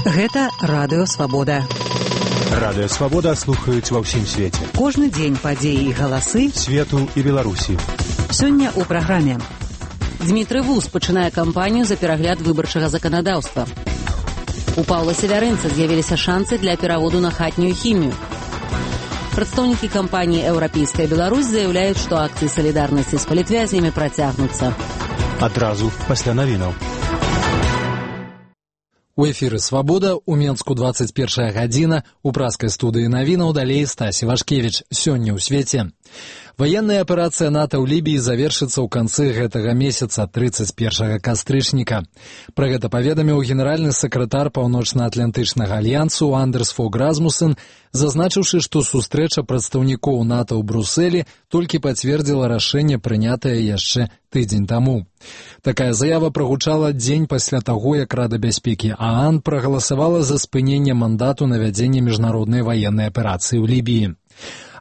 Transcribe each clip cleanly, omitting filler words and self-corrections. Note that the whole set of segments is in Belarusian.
Гэта Радыё Свабода. Радыё Свабода слухаюць ва ўсім свеце. Кожны дзень падзеі і галасы свету і Беларусі. Сёння ў праграме. Дмітрый Вуз пачынае кампанію за перагляд выбарчага заканадаўства. У Паўла Севярынца з'явіліся шансы для пераводу на хатнюю хімію. Прадстаўнікі кампаніі «Еўрапейская Беларусь» заяўляюць, што акцыі салідарнасці з палітвязнямі працягнуцца. Адразу пасля навінаў. У эфіры «Свабода», у Менску 21 гадзіна, у праскай студыі навінаў далей Стасі Вашкевіч. Сёння ў свеце. Ваенная аперацыя НАТО ў Лібіі завершыцца ў канцы гэтага месяца, 31 кастрычніка. Пра гэта паведаміў генеральны сакратар Паўночна-Атлантычнага альянсу Андерс Фог Расмуссен, зазначыўшы, што сустрэча прадстаўнікоў НАТО ў Брусэлі толькі пацвердзіла рашэнне, прынятае яшчэ тыдзень таму. Такая заява прагучала дзень пасля таго, як Рада бяспекі ААН прагаласавала за спыненне мандату на вядзенне міжнароднай ваеннай аперацыі ў Лібіі.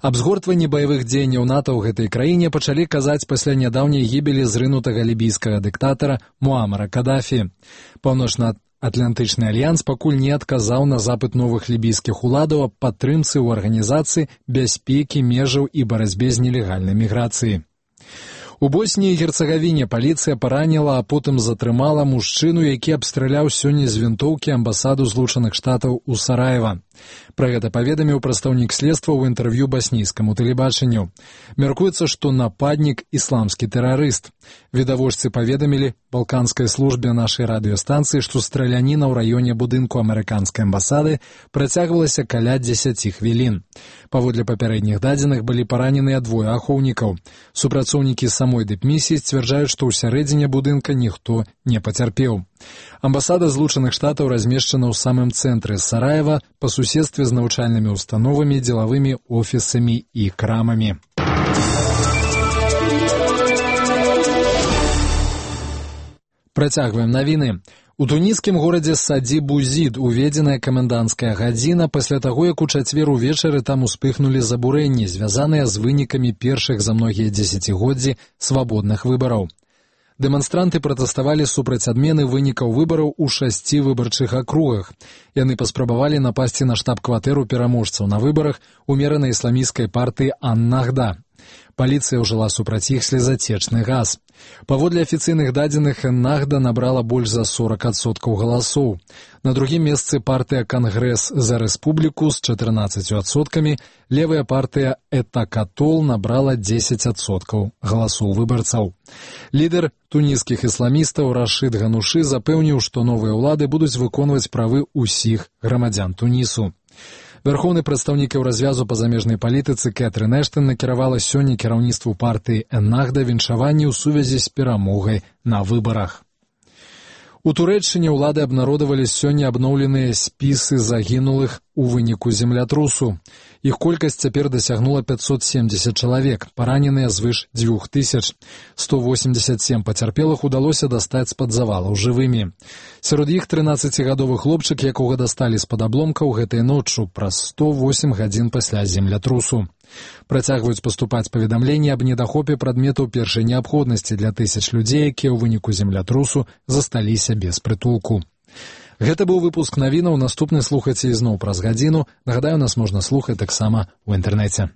Аб згортванні баявых дзеянняў НАТО ў гэтай краіне пачалі казаць пасля нядаўняй гібелі зрынутага лібійскага дыктатара Муамара Кадафі. Паўночна-Атлантычны альянс пакуль не адказаў на запыт новых лібійскіх уладаў аб падтрымцы ў арганізацыі бяспекі, межаў і барацьбе з нелегальнай міграцыяй. У Босніі і Герцагавіне паліцыя параніла, а потым затрымала мужчыну, які абстраляў сёння з вінтоўкі амбасаду Злучаных Штатаў у Сараева. Пра гэта паведаміў прадстаўнік следства ў інтэрв'ю баснійскаму тэлебачанню. Мяркуецца, што нападнік ісламскі тэрарыст. Відавочцы паведамілі балканскай службе нашай радыёстанцыі, што страляніна ў раёне будынку амерыканскай амбасады працягвалася каля 10 хвілін. Паводле папярэдніх дадзеных былі параненыя двое ахоўнікаў. Супрацоўнікі самой дыпмісіі сцвярджаюць, што ў сярэдзіне будынка ніхто не пацярпеў. Амбасада Злучаных Штатаў размешчана ў самым цэнтры Сараева па суседстве з навучальнымі установамі, дзелавымі офісамі і крамамі. Працягваем навіны. У туніскім горадзе Саді-Бузід уведзеная каменданцкая гадзіна пасля таго, як у чацвер увечары там успыхнулі забурэнні, звязаныя з вынікамі першых за многія дзесяцігоддзі свабодных выбараў. Дэманстранты пратэставалі супраць адмены вынікаў выбараў у 6 выбарчых акругах. Яны паспрабавалі напасці на штаб-кватэру пераможцаў на выбарах умеранай ісламісцкай партыі Ан-Нахда. Паліцыя ўжыла супраць іх слезацечны газ. Паводле афіцыйных дадзеных, Ан-Нахда набрала больш за 40% галасоў. На другім месцы партыя «Кангрэс за рэспубліку» з 14%, левая партыя «Этакатол» набрала 10% галасоў выбарцаў. Лідар туніскіх ісламістаў Рашид Ганушы запэўніў, што новыя ўлады будуць выконваць правы ўсіх грамадзян Тунісу. Вярхоўны прадстаўнік еўразвязу па замежнай палітыцы Кэтрын Эштон накіравала сёння кіраўніцтву партыі Ан-Нахда віншаванні ў сувязі з перамогай на выбарах. У Турэччыне ўлады абнародавалі сёння абноўленыя спісы загінулых у выніку землятрусу. Іх колькасць цяпер дасягнула 570 чалавек, параненыя звыш 2000. 187 пацярпелых удалося дастаць з-пад завалаў жывымі. Сярод іх 13-гадовы хлопчык, якога дасталі з-пад абломкаў гэтай ноччу праз 108 гадзін пасля землятрусу. Працягваюць паступаць паведамленні аб недахопе прадметаў першай неабходнасці для тысяч людзей, якія ў выніку землятрусу засталіся без прытулку. Гэта быў выпуск навінаў, наступны слухайце ізноў праз гадзіну. Нагадаю, нас можна слухаць таксама ў інтэрнэце.